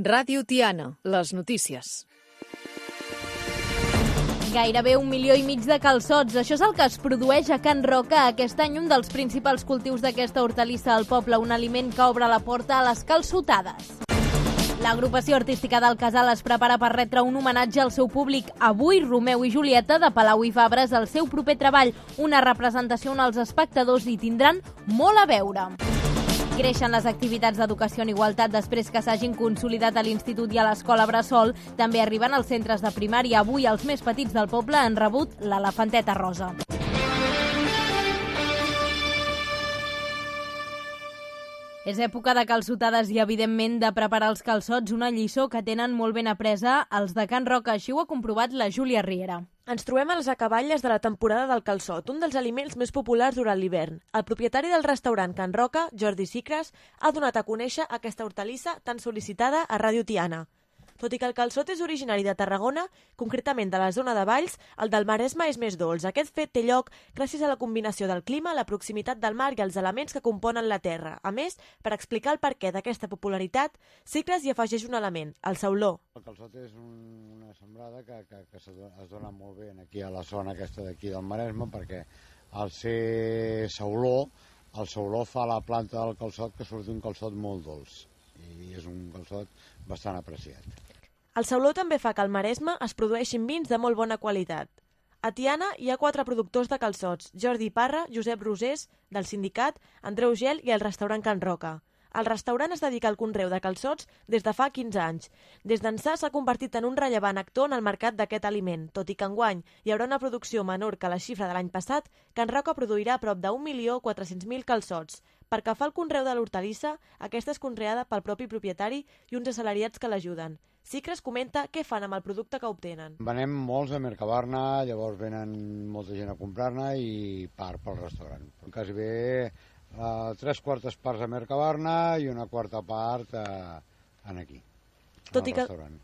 Ràdio Tiana, les notícies. Gairebé 1,5 milió de calçots. Això és el que es produeix a Can Roca aquest any, un dels principals cultius d'aquesta hortalissa al poble, un aliment que obre la porta a les calçotades. L'agrupació artística del Casal es prepara per retre un homenatge al seu públic. Avui, Romeu i Julieta, de Palau i Fabra, és el seu proper treball, una representació on els espectadors hi tindran molt a veure. Creixen les activitats d'educació en igualtat després que s'hagin consolidat a l'Institut i a l'Escola Bressol. També arriben als centres de primària. Avui els més petits del poble han rebut l'elefanteta rosa. És època de calçotades i, evidentment, de preparar els calçots, una lliçó que tenen molt ben apresa els de Can Roca. Així ho ha comprovat la Júlia Riera. Ens trobem a les acaballes de la temporada del calçot, un dels aliments més populars durant l'hivern. El propietari del restaurant Can Roca, Jordi Sicres, ha donat a conèixer aquesta hortalissa tan sol·licitada a Ràdio Tiana. Tot i que el calçot és originari de Tarragona, concretament de la zona de Valls, el del Maresme és més dolç. Aquest fet té lloc gràcies a la combinació del clima, la proximitat del mar i els elements que componen la terra. A més, per explicar el perquè d'aquesta popularitat, Sicres hi afegeix un element, el sauló. El calçot és una sembrada que es dona molt bé aquí a la zona aquesta d'aquí del Maresme, perquè al ser sauló, el sauló fa la planta del calçot que surt un calçot molt dolç i és un calçot bastant apreciat. El sauló també fa que al Maresme es produeixin vins de molt bona qualitat. A Tiana hi ha 4 productors de calçots: Jordi Parra, Josep Rosés, del sindicat, Andreu Gel i el restaurant Can Roca. El restaurant es dedica al conreu de calçots des de fa 15 anys. Des d'ençà s'ha convertit en un rellevant actor en el mercat d'aquest aliment. Tot i que enguany hi haurà una producció menor que la xifra de l'any passat, Can Roca produirà prop de 1.400.000 calçots. Per que fa el conreu de l'hortalissa, aquesta és conreada pel propi propietari i uns assalariats que l'ajuden. Sicres comenta què fan amb el producte que obtenen. Venem molts a Mercabarna, llavors venen molta gent a comprar-ne i part pel restaurant. Quasi bé 3/4 parts a Mercabarna i una quarta part aquí, al restaurant.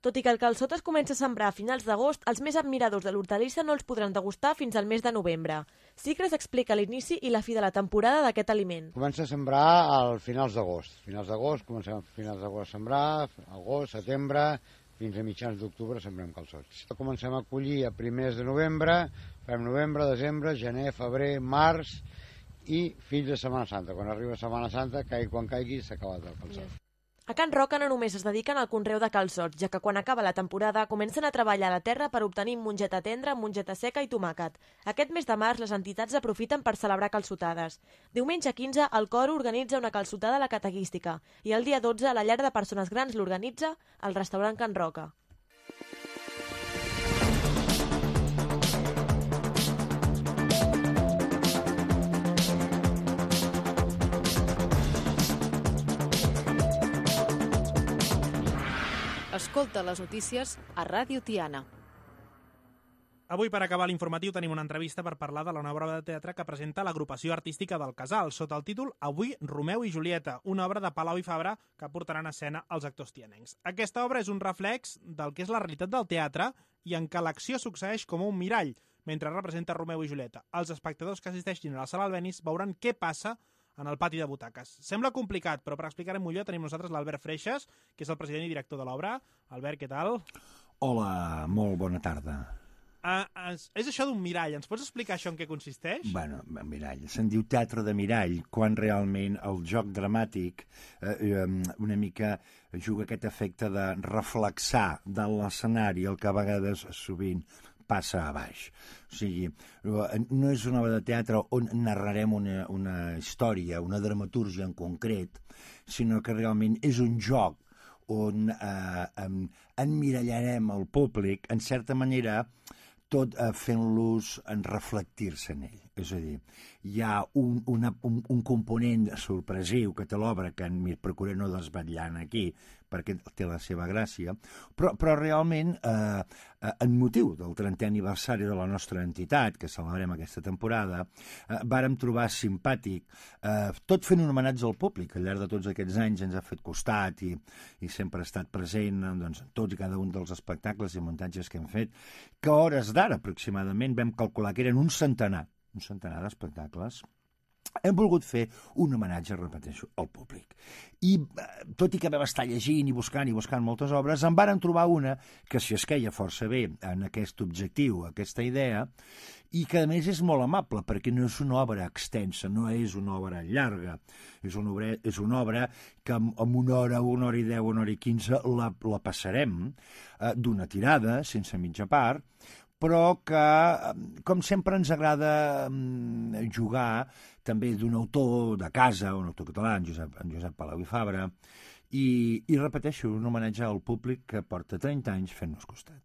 Tot i que el calçot es comença a sembrar a finals d'agost, els més admiradors de l'hortalissa no els podran degustar fins al mes de novembre. Sicres explica l'inici i la fi de la temporada d'aquest aliment. Comença a sembrar a finals d'agost. Comencem a finals d'agost a sembrar, agost, setembre, fins a mitjans d'octubre sembrem calçots. Comencem a collir a primers de novembre, fem novembre, desembre, gener, febrer, març i fins a Setmana Santa. Quan arriba Setmana Santa, quan caigui, s'ha acabat el calçot. A Can Roca no només es dediquen al conreu de calçots, ja que quan acaba la temporada comencen a treballar a la terra per obtenir mongeta tendra, mongeta seca i tomàquet. Aquest mes de març les entitats aprofiten per celebrar calçotades. Diumenge 15 el coro organitza una calçotada a la catequística i el dia 12 la llar de persones grans l'organitza al restaurant Can Roca. Escolta les notícies a Ràdio Tiana. Avui, per acabar l'informatiu, tenim una entrevista per parlar de la nova obra de teatre que presenta l'agrupació artística del Casal, sota el títol Avui, Romeu i Julieta, una obra de Palau i Fabra que portaran a escena els actors tianencs. Aquesta obra és un reflex del que és la realitat del teatre i en què l'acció succeeix com un mirall, mentre representa Romeu i Julieta. Els espectadors que assisteixin a la sala Albéniz veuran què passa en el pati de butaques. Sembla complicat, però per explicar-ho millor tenim nosaltres l'Albert Freixas, que és el president i director de l'obra. Albert, què tal? Hola, molt bona tarda. És això d'un mirall. Ens pots explicar això en què consisteix? Bueno, mirall. Se'n diu teatre de mirall, quan realment el joc dramàtic una mica juga aquest efecte de reflexar de l'escenari, el que a vegades sovint passa a baix. O sigui, no és una obra de teatre on narrarem una història, una dramatúrgia en concret, sinó que realment és un joc on emmirallarem el públic, en certa manera, tot fent-los reflectir-se en ell. És a dir, hi ha un component sorpresiu que té l'obra, que procurem no desvetllar aquí, perquè té la seva gràcia, però realment, en motiu del 30è aniversari de la nostra entitat, que celebrem aquesta temporada, vàrem trobar simpàtic, tot fent un homenatge al públic, al llarg de tots aquests anys ens ha fet costat i sempre ha estat present en tots i cada un dels espectacles i muntatges que hem fet, que a hores d'ara aproximadament vam calcular que eren un centenar d'espectacles hem volgut fer un homenatge, repeteixo, al públic. I tot i que vam estar llegint i buscant moltes obres, en varen trobar una que s'hi esqueia força bé en aquest objectiu, aquesta idea, i que a més és molt amable, perquè no és una obra extensa, no és una obra llarga, és una obra que en una hora i 10, una hora i 15 la passarem d'una tirada, sense mitja part, però que, com sempre, ens agrada jugar també d'un autor de casa, un autor català, en Josep Palau i Fabra, i repeteixo, un homenatge al públic que porta 30 anys fent-nos costat.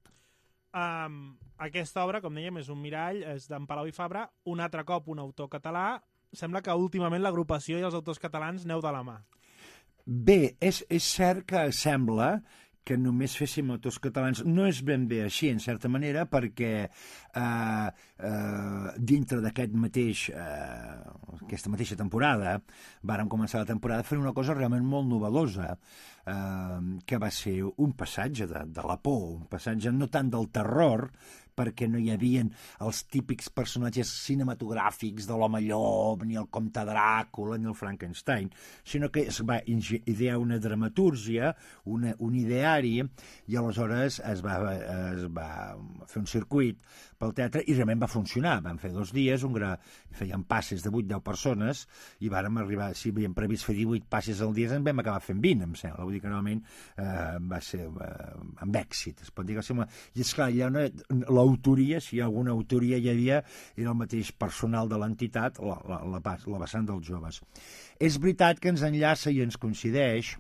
Aquesta obra, com dèiem, és un mirall, és d'en Palau i Fabra, un altre cop un autor català. Sembla que últimament l'agrupació i els autors catalans neu de la mà. Bé, és cert que sembla que només féssim autors catalans. No és ben bé així, en certa manera, perquè dintre d'aquesta mateixa temporada vàrem començar la temporada fent una cosa realment molt novedosa, que va ser un passatge de la por, un passatge no tant del terror, perquè no hi havia els típics personatges cinematogràfics de l'home llop, ni el comte Dràcula, ni el Frankenstein, sinó que es va idear una dramatúrgia, un ideari, i aleshores es va fer un circuit pel teatre i realment va funcionar. Vam fer 2 dies, feien passes de 8-10 persones, i vàrem arribar, si havíem previst fer 18 passes al dia, en vam acabar fent 20, em sembla. Vull dir que realment va ser amb èxit, es pot dir que sembla. I esclar, hi ha l'autoria, si hi ha alguna autoria hi havia, era el mateix personal de l'entitat, la vessant dels joves. És veritat que ens enllaça i ens coincideix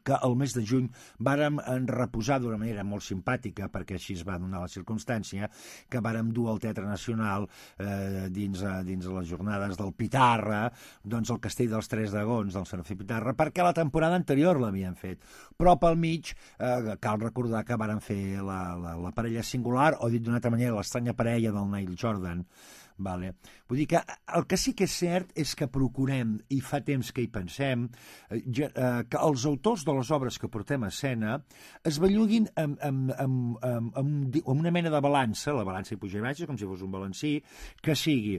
que el mes de juny vàrem reposar d'una manera molt simpàtica, perquè així es va donar la circumstància, que vàrem dur al Teatre Nacional dins les jornades del Pitarra, doncs el Castell dels Tres Dragons del Serafí Pitarra, perquè la temporada anterior l'havien fet. Però pel mig cal recordar que vàrem fer la parella singular, o dit d'una altra manera, l'estranya parella del Neil Jordan. Vale. Vull dir que el que sí que és cert és que procurem, i fa temps que hi pensem, que els autors de les obres que portem a escena es belluguin amb una mena de balança, la balança i puja i baixa, com si fos un balancí, que sigui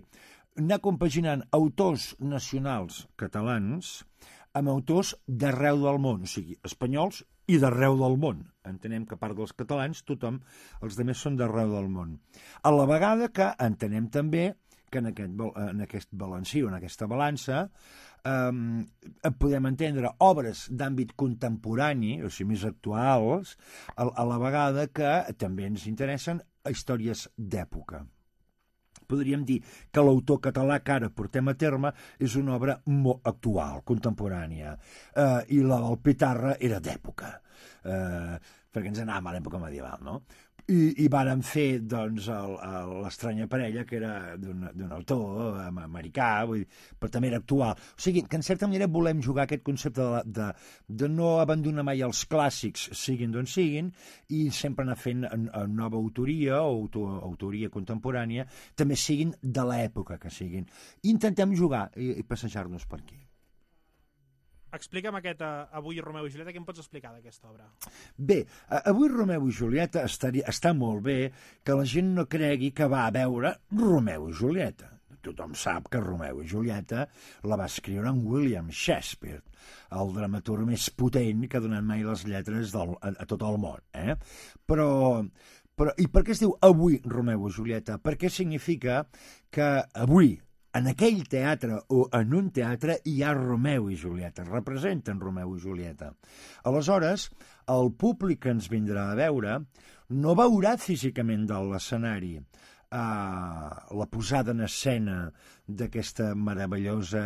anar compaginant autors nacionals catalans amb autors d'arreu del món, o sigui, espanyols i d'arreu del món. Entenem que a part dels catalans, tothom, els altres són d'arreu del món. A la vegada que entenem també que en aquest balancí o en aquesta balança podem entendre obres d'àmbit contemporani, o sigui, més actuals, a la vegada que també ens interessen històries d'època. Podríem dir que l'autor català que ara portem a terme és una obra molt actual, contemporània, i la del Pitarra era d'època, perquè ens anàvem a l'època medieval, no? I vàrem fer, doncs, l'estranya parella, que era d'un autor americà, vull dir, però també era actual. O sigui, que en certa manera volem jugar aquest concepte de no abandonar mai els clàssics, siguin d'on siguin, i sempre anar fent nova autoria o autoria contemporània, també siguin de l'època que siguin. Intentem jugar i passejar-nos per aquí. Explica'm aquest Avui Romeu i Julieta, què em pots explicar d'aquesta obra? Bé, Avui Romeu i Julieta està molt bé que la gent no cregui que va a veure Romeu i Julieta. Tothom sap que Romeu i Julieta la va escriure en William Shakespeare, el dramaturg més potent que ha donat mai les lletres a tot el món. Però i per què es diu Avui Romeu i Julieta? Perquè significa que avui, en aquell teatre o en un teatre hi ha Romeu i Julieta, representen Romeu i Julieta. Aleshores, el públic que ens vindrà a veure no veurà físicament de l'escenari la posada en escena d'aquesta meravellosa,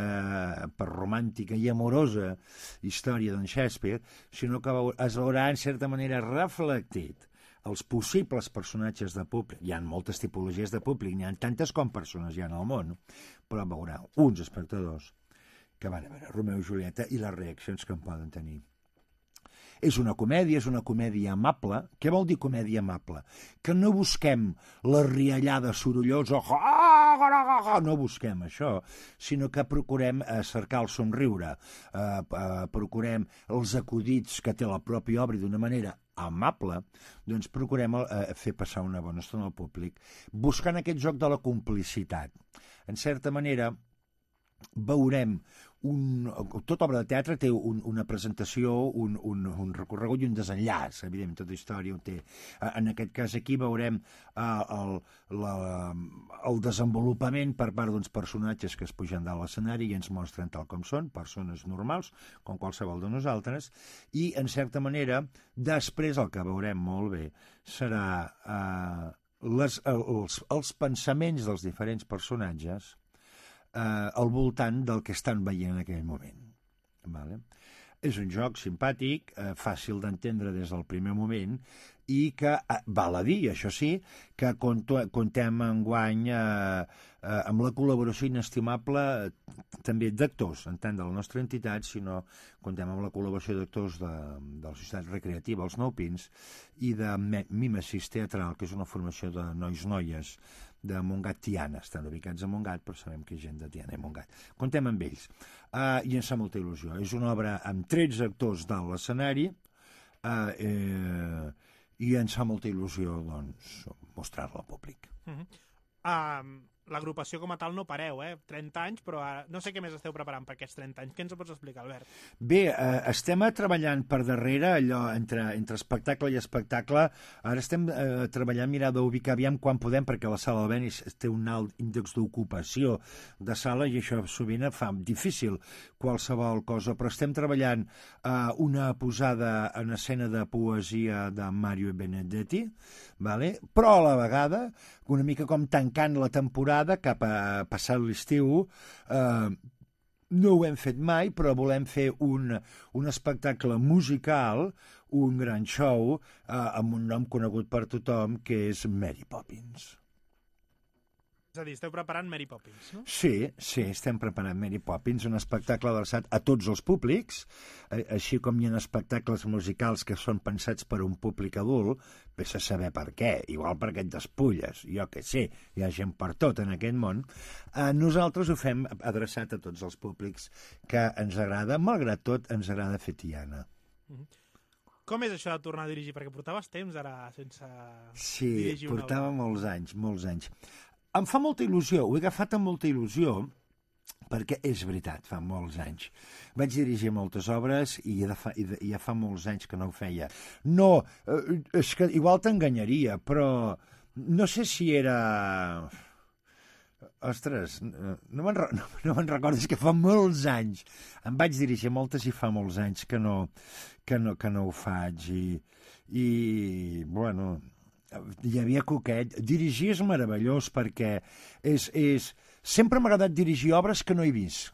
romàntica i amorosa història d'en Shakespeare, sinó que es veurà en certa manera reflectit els possibles personatges de públic. Hi ha moltes tipologies de públic, n'hi ha tantes com persones hi ha al món, però veurà uns espectadors que van a veure Romeu i Julieta i les reaccions que en poden tenir. És una comèdia amable. Què vol dir comèdia amable? Que no busquem la riallada sorollosa, no busquem això, sinó que procurem cercar el somriure, procurem els acudits que té la pròpia obra d'una manera amable, doncs procurem fer passar una bona estona al públic, buscant aquest joc de la complicitat. En certa manera, veurem tota obra de teatre té una presentació, un recorregut i un desenllaç, evidentment, tota història ho té. En aquest cas aquí veurem el desenvolupament per part d'uns personatges que es pugen de l'escenari i ens mostren tal com són, persones normals, com qualsevol de nosaltres, i, en certa manera, després el que veurem molt bé serà els pensaments dels diferents personatges al voltant del que estan veient en aquell moment. Vale? És un joc simpàtic, fàcil d'entendre des del primer moment i que, val a dir, això sí, que contem enguany amb la col·laboració inestimable també d'actors, en tant de la nostra entitat, sinó contem amb la col·laboració d'actors de la Societat Recreativa Els Nou Pins i de Mimesis Teatral, que és una formació de nois-noies de Montgat Tiana. Estan ubicats a Montgat, però sabem que hi ha gent de Tiana i Montgat. Contem amb ells. I ens fa molta il·lusió. És una obra amb 13 actors dalt l'escenari i ens fa molta il·lusió doncs, mostrar-la al públic. L'agrupació com a tal no pareu, 30 anys, però no sé què més esteu preparant per aquests 30 anys. Què ens ho pots explicar, Albert? Bé, estem treballant per darrere, allò entre espectacle i espectacle. Ara estem treballant, mirar d'ubicar aviam quan podem, perquè la sala del Benis té un alt índex d'ocupació de sala i això sovint fa difícil qualsevol cosa, però estem treballant una posada en escena de poesia de Mario Benedetti, vale? Però a la vegada, una mica com tancant la temporada cap a passat l'estiu, no ho hem fet mai, però volem fer un espectacle musical, un gran show, amb un nom conegut per tothom, que és Mary Poppins. És a dir, esteu preparant Mary Poppins, no? Sí, estem preparant Mary Poppins, un espectacle adreçat a tots els públics, així com hi ha espectacles musicals que són pensats per un públic adult, vés a saber per què, igual perquè et despulles, jo què sé, hi ha gent per tot en aquest món. Nosaltres ho fem adreçat a tots els públics que ens agrada, malgrat tot ens agrada fer Tiana. Com és això de tornar a dirigir? Perquè portaves temps ara sense Sí, dirigir una obra. portava molts anys. Em fa molta il·lusió, ho he agafat amb molta il·lusió, perquè és veritat, fa molts anys. Vaig dirigir moltes obres i ja fa molts anys que no ho feia. No, és que igual t'enganyaria, però no sé si era... Ostres, no me'n recordo, és que fa molts anys. Em vaig dirigir moltes i fa molts anys que no ho faig. I bueno... hi havia coquet. Dirigir és meravellós perquè sempre m'ha agradat dirigir obres que no he vist,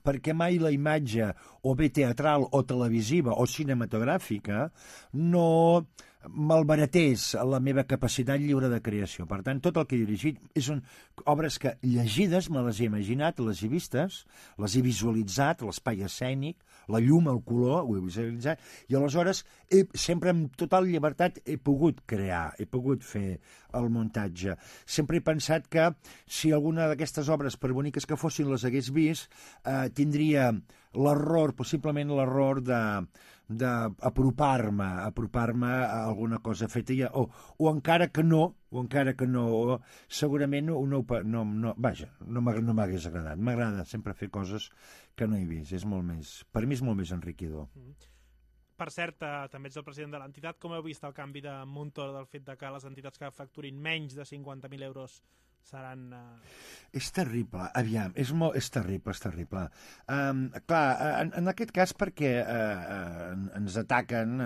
perquè mai la imatge o bé teatral o televisiva o cinematogràfica no malbaratés la meva capacitat lliure de creació. Per tant, tot el que he dirigit són obres que llegides me les he imaginat, les he vistes, les he visualitzat, l'espai escènic, la llum, el color, ho he visualitzat, i aleshores sempre amb total llibertat he pogut crear, he pogut fer el muntatge. Sempre he pensat que si alguna d'aquestes obres, per boniques que fossin, les hagués vist, tindria l'error, possiblement l'error d'apropar-me a alguna cosa feta o encara que no, segurament no m'hagués agradat. M'agrada sempre fer coses que no he vist. Per mi és molt més enriquidor. Per cert, també ets el president de l'entitat. Com heu vist el canvi de Montoro del fet de que les entitats que facturin menys de 50.000 euros seran... És terrible, aviam, és terrible. Clar, en aquest cas perquè ens ataquen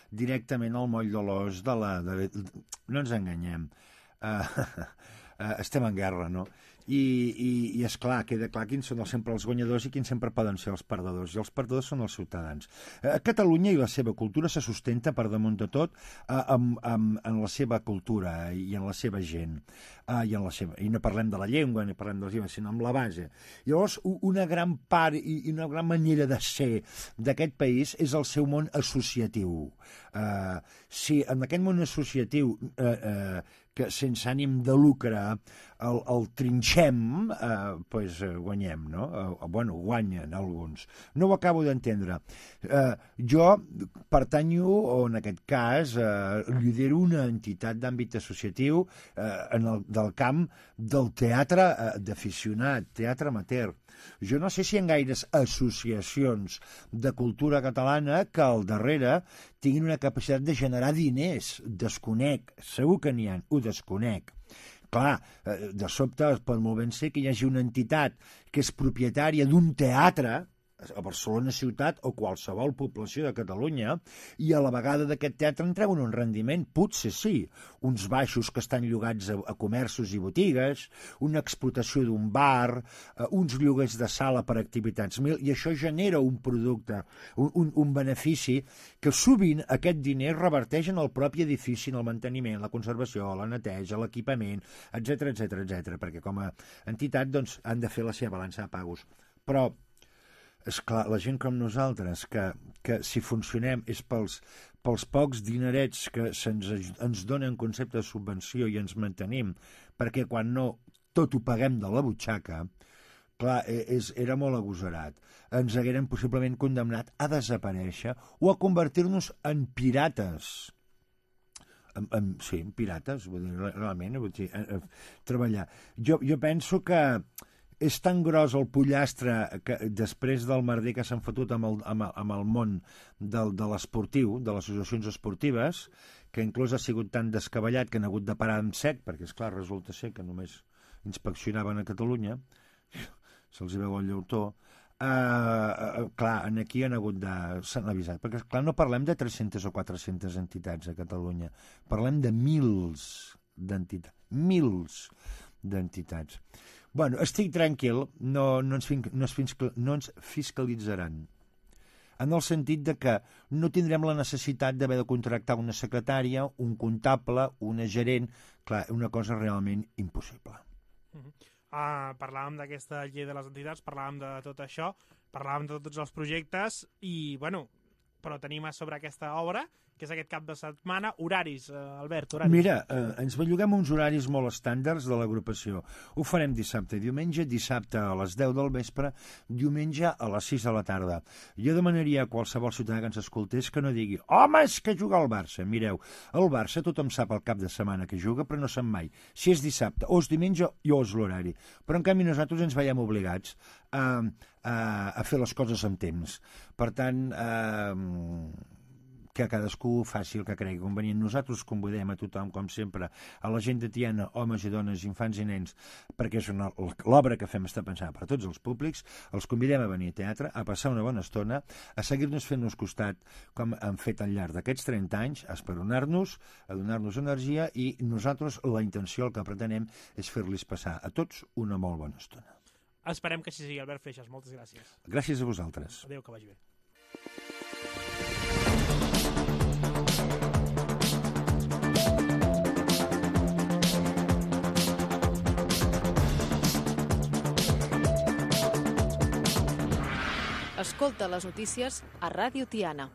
directament al moll de l'os no ens enganyem. Estem en guerra, no? I és clar, queda clar quins són sempre els guanyadors i quins sempre poden ser els perdedors, i els perdedors són els ciutadans. Catalunya i la seva cultura se sustenta per damunt de tot en la seva cultura i en la seva gent, i no parlem de la llengua ni parlem de les llengües, sinó amb la base. Llavors, una gran part i una gran manera de ser d'aquest país és el seu món associatiu. Si en aquest món associatiu que sense ànim de lucre el trinxem, doncs guanyem, no? Bueno, guanyen alguns. No ho acabo d'entendre. Jo pertanyo, o en aquest cas, lidero una entitat d'àmbit associatiu del camp del teatre d'aficionat, teatre amateur. Jo no sé si hi ha gaires associacions de cultura catalana que al darrere tinguin una capacitat de generar diners. Desconec, segur que n'hi ha, ho desconec. Clar, de sobte pot molt ben ser que hi hagi una entitat que és propietària d'un teatre a Barcelona ciutat o qualsevol població de Catalunya i a la vegada d'aquest teatre en treuen un rendiment, potser sí, uns baixos que estan llogats a comerços i botigues, una explotació d'un bar, uns lloguers de sala per activitats mil, i això genera un producte, un benefici que sovint aquest diner reverteix en el propi edifici, en el manteniment, la conservació, la neteja, l'equipament, etc etc, perquè com a entitat doncs, han de fer la seva balança de pagos. Però és clar, la gent com nosaltres, que si funcionem és pels pocs dinerets que ens donen concepte de subvenció i ens mantenim, perquè quan no tot ho paguem de la butxaca, clar, era molt agosarat. Ens hagueren possiblement condemnat a desaparèixer o a convertir-nos en pirates. Sí, en pirates, vull dir, realment, vull dir, treballar. Jo penso que és tan gros el pollastre que després del merder que s'han fotut amb el món de l'esportiu, de les associacions esportives, que inclús ha sigut tan descabellat que han hagut de parar en sec, perquè, esclar, resulta ser que només inspeccionaven a Catalunya, se'ls hi veu el llautó. Clar, aquí han hagut de... s'han avisat, perquè, clar, no parlem de 300 o 400 entitats a Catalunya, parlem de mils d'entitats. Bueno, estic tranquil, no ens fiscalitzaran, en el sentit de que no tindrem la necessitat d'haver de contractar una secretària, un comptable, una gerent, clar, una cosa realment impossible. Parlàvem d'aquesta llei de les entitats, parlàvem de tot això, parlàvem de tots els projectes i, bueno, però tenim a sobre aquesta obra, que és aquest cap de setmana. Horaris, Albert, horaris. Mira, ens belluguem uns horaris molt estàndards de l'agrupació. Ho farem dissabte i diumenge, dissabte a les 10 del vespre, diumenge a les 6 de la tarda. Jo demanaria a qualsevol ciutadà que ens escoltés que no digui «Home, és que juga al Barça». Mireu, el Barça tothom sap el cap de setmana que juga, però no sap mai si és dissabte o és diumenge o és l'horari. Però en canvi nosaltres ens veiem obligats a fer les coses amb temps. Per tant, que cadascú faci el que cregui convenient. Nosaltres convidem a tothom, com sempre, a la gent de Tiana, homes i dones, infants i nens, perquè és l'obra que fem està pensada per tots els públics, els convidem a venir a teatre, a passar una bona estona, a seguir-nos fent-nos costat, com han fet al llarg d'aquests 30 anys, a esperonar-nos, a donar-nos energia, i nosaltres la intenció, el que pretenem, és fer-los passar a tots una molt bona estona. Esperem que així sigui, Albert Feixas. Moltes gràcies. Gràcies a vosaltres. Adéu, que vagi bé. Escolta les notícies a Ràdio Tiana.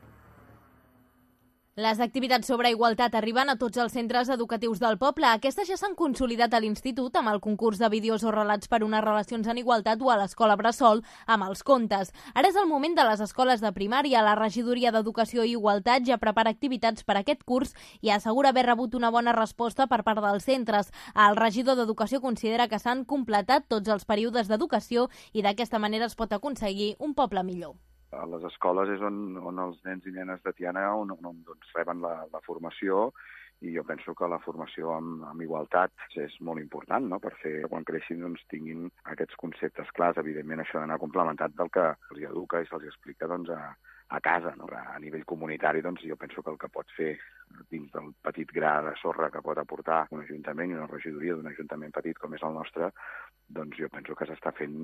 Les activitats sobre igualtat arriben a tots els centres educatius del poble. Aquestes ja s'han consolidat a l'Institut amb el concurs de vídeos o relats per unes relacions en igualtat o a l'escola Bressol amb els contes. Ara és el moment de les escoles de primària. La Regidoria d'Educació i Igualtat ja prepara activitats per a aquest curs i assegura haver rebut una bona resposta per part dels centres. El regidor d'Educació considera que s'han completat tots els períodes d'educació i d'aquesta manera es pot aconseguir un poble millor. A les escoles és on els nens i nenes de Tiana doncs, reben la formació, i jo penso que la formació amb igualtat és molt important, no?, per fer que quan creixin doncs, tinguin aquests conceptes clars. Evidentment això ha d'anar complementat del que se'ls educa i se'ls explica doncs, a casa, no? A nivell comunitari doncs, jo penso que el que pot fer dins del petit gra de sorra que pot aportar un ajuntament i una regidoria d'un ajuntament petit com és el nostre, doncs jo penso que s'està fent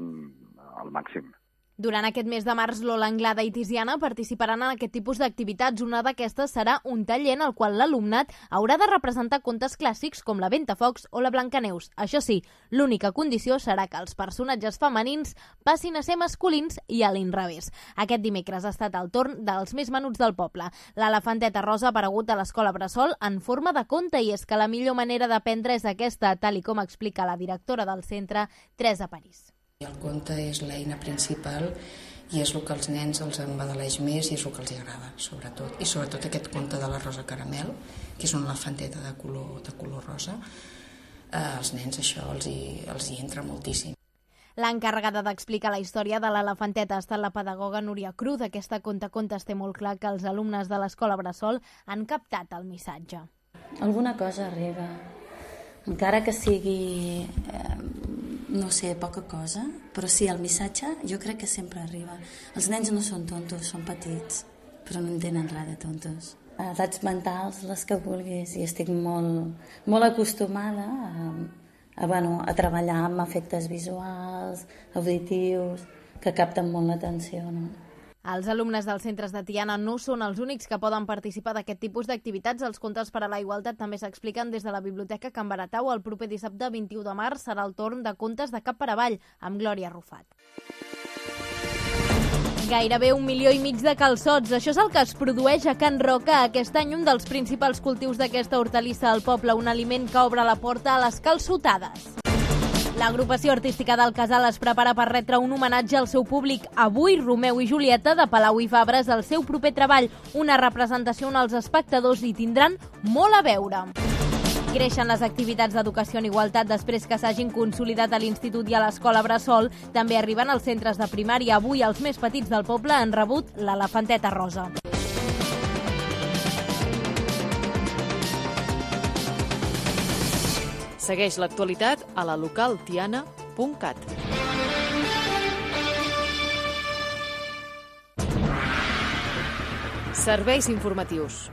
al màxim. Durant aquest mes de març, Lola Anglada i Tiziana participaran en aquest tipus d'activitats. Una d'aquestes serà un taller en el qual l'alumnat haurà de representar contes clàssics com la Ventafocs o la Blancaneus. Això sí, l'única condició serà que els personatges femenins passin a ser masculins i a l'inrevés. Aquest dimecres ha estat el torn dels més menuts del poble. L'elefanteta rosa ha aparegut a l'escola Bressol en forma de conte, i és que la millor manera d'aprendre és aquesta, tal i com explica la directora del centre, Teresa París. El conte és l'eina principal i és el que als nens els embadaleix més i és el que els agrada, sobretot. I sobretot aquest conte de la Rosa Caramel, que és una elefanteta de color rosa, als nens això els hi entra moltíssim. L'encarregada d'explicar la història de l'elefanteta ha estat la pedagoga Núria Cruz. Aquesta contacontes té molt clar que els alumnes de l'escola Bressol han captat el missatge. Alguna cosa arriba, encara que sigui, no sé, poca cosa, però sí, el missatge jo crec que sempre arriba. Els nens no són tontos, són petits, però no entenen res de tontos. Edats mentals, les que vulguis, i estic molt acostumada a treballar amb efectes visuals, auditius, que capten molt l'atenció, no? Els alumnes dels centres de Tiana no són els únics que poden participar d'aquest tipus d'activitats. Els contes per a la igualtat també s'expliquen des de la Biblioteca Can Baratau. El proper dissabte 21 de març serà el torn de contes de cap per avall, amb Glòria Rufat. Gairebé 1,5 milions de calçots. Això és el que es produeix a Can Roca aquest any, un dels principals cultius d'aquesta hortalissa al poble, un aliment que obre la porta a les calçotades. L'agrupació artística del Casal es prepara per retre un homenatge al seu públic. Avui, Romeu i Julieta, de Palau i Fabra, el seu proper treball, una representació on els espectadors hi tindran molt a veure. Creixen les activitats d'educació en igualtat després que s'hagin consolidat a l'Institut i a l'Escola Bressol. També arriben als centres de primària. Avui els més petits del poble han rebut l'elefanteta rosa. Segueix l'actualitat a la localtiana.cat. Serveis informatius.